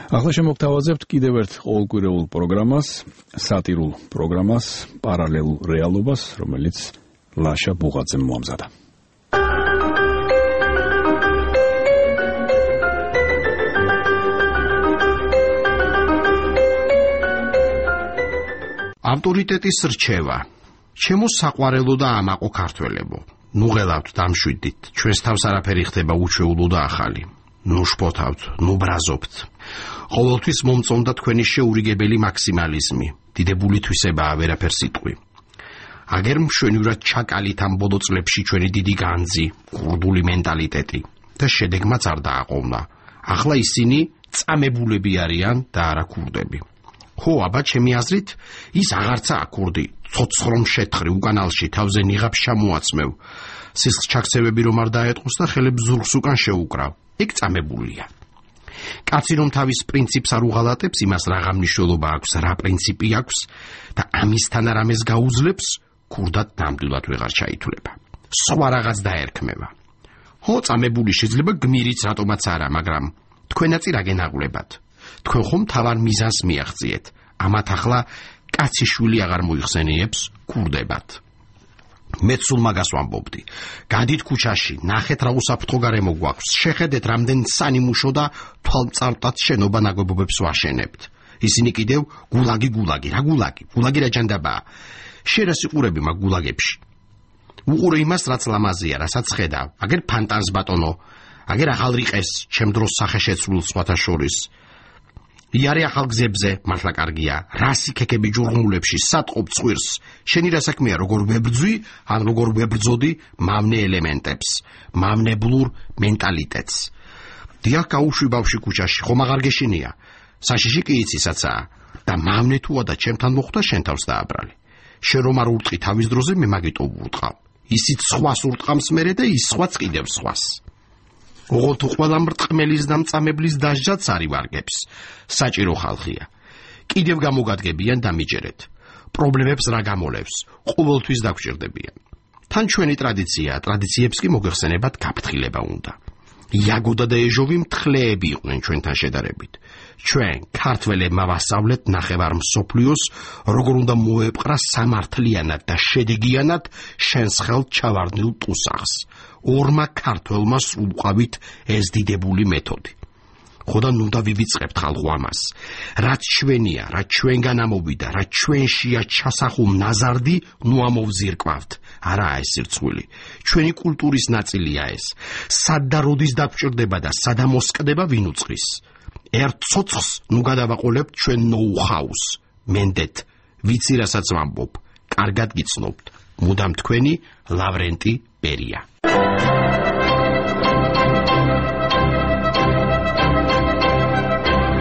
ახლა შემოგთავაზებთ კიდევ ერთ ყოველკვირეულ პროგრამას, სატირულ პროგრამას, პარალელურ რეალობას, რომელიც ლაშა ბუღაძემ მოამზადა. ავტორიტეტის რჩევა. ჩემო საყვარელო და ამაყო ქართველებო, ნუ ღელავთ დამშვიდით, ჩვენს თავს არაფერი ხდება უჩვეულო და ახალი. ნუ შფოთავთ, ნუ ბრაზობთ. ყოველთვის მომწონდა თქვენი შეურიგებელი მაქსიმალიზმი, დიდებული თვისებაა ვერაფერ სიტყვი. აგერ მშვენივრად ჩაკალით ამ ბოლო წლებში ჩვენი დიდი განძი, კურდული მენტალიტეტი და შედეგმაც არ დააყოვნა. ახლა ისინი წამებულები არიან და არა ქურდები. ხო, აბა ჩემი აზრით, ის აღარცაა ქურდი, ცოცხლომ შეთხრი უკანალში თავზე ნიღაბს ჩამოაცმევ. სისხლს ჩაქცევები რომ არ დაეტყოს და ხელებს ზურგს უკან შეუკრავ. ეგ წამებულია. კაცი რომ თავის პრინციპს არ უღალატებს, იმას რაღა მნიშვნელობა აქვს, რა პრინციპი აქვს და ამისთან რამეს გაუძლებს, ქურდად ნამდვილად ვეღარ ჩაითვლება. სხვა რაღაც დაერქმევა. ხო, წამებული შეიძლება გმირიც რატომაც არა, მაგრამ თქვენაც რა გენაღლებათ. თქვენ ხომ თავარ მიზანს მიაღწიეთ. ამათ ახლა კაცი შვილი აღარ მოიხსენიებს, ქურდებათ. მეც სულ მაგას ვამბობდი. გადით ქუჩაში, ნახეთ რა უსაფრთხო გარემო გვაქვს, შეხედეთ რამდენ სანიმუშო და თვალწარმტაც შენობა ნაგებობებს ვაშენებთ. ისინი კიდევ გულაგი, რა გულაგი რა ჯანდაბაა. შენ რა სიყურები მაგ გულაგებში? უყურე იმას, რაც ლამაზია, რასაც ხედავ. აგერ ფანტანს ბატონო, აგერ ახალ რიყეს, ჩემ დროს სახეშეცვლილ სხვათა შორის. იარე ახალ გზებზე, მართლა კარგია, რასი ქეკები ჯურღმულებში, სატყობ ცხვირს, შენი რა საქმეა, როგორ ვებრძვი, ან როგორ ვებრძოდი მავნე ელემენტებს, მავნებლურ მენტალიტეტს. დიახ, გაუშვი ბავში ქუჩაში, ხომ აღარ გეშინია, საშიში კი იცისაცაა, და მავნე თუა და ჩემთან მოხვდა შენ თავს დააბრალე. შენ რომ არ ურტყი თავის დროზე, მე მაგიტო ვურტყავ. ისიც სხვას ურტყამს მერე და ის სხვაც კიდევ სხვას. ოღონდ ყველა მრტყმელის და მწამებლის დასჯაც არ ივარგებს. საჭირო ხალხია. კიდევ გამოგადგებიან და მიჯერეთ. პრობლემებს რა გამოლევს, ყოველთვის დაგჭირდებიან. თან ჩვენი ტრადიციებს კი მოგეხსენებათ გაფრთხილება უნდა. იაგოდა და ეჟოვი მთხრეები იყვნენ ჩვენთან შედარებით. ჩვენ ქართველებმა ვასწავლეთ ნახევარ მსოფლიოს, როგორ უნდა მოეპყრა სამართლიანად და შედეგიანად შენს ხელთ ჩავარდნილ ტუსაღს. ორმა ქართველმა სრულყავით ეს დიდებული მეთოდი. ხოდა ნუ და ვივიწყებთ ხალხო ამას. რაც ჩვენია, რაც ჩვენგან ამოვიდა, რაც ჩვენშია ჩასახულ ნაზარდი, ნუ ამოვზირკვავთ. არაა ეს სირცხვილი. ჩვენი კულტურის ნაწილია ეს. სად და როდის დაგჭირდება და სადამოსკდება ვინ უწყის. ერთ ცოცხს ნუ გადავაყოლებთ ჩვენ ნოუ-ჰაუს. მენდეთ, ვიცი რასაც ვამბობ. კარგად გიცნობთ. მუდამ თქვენი ლავრენტი ბერია.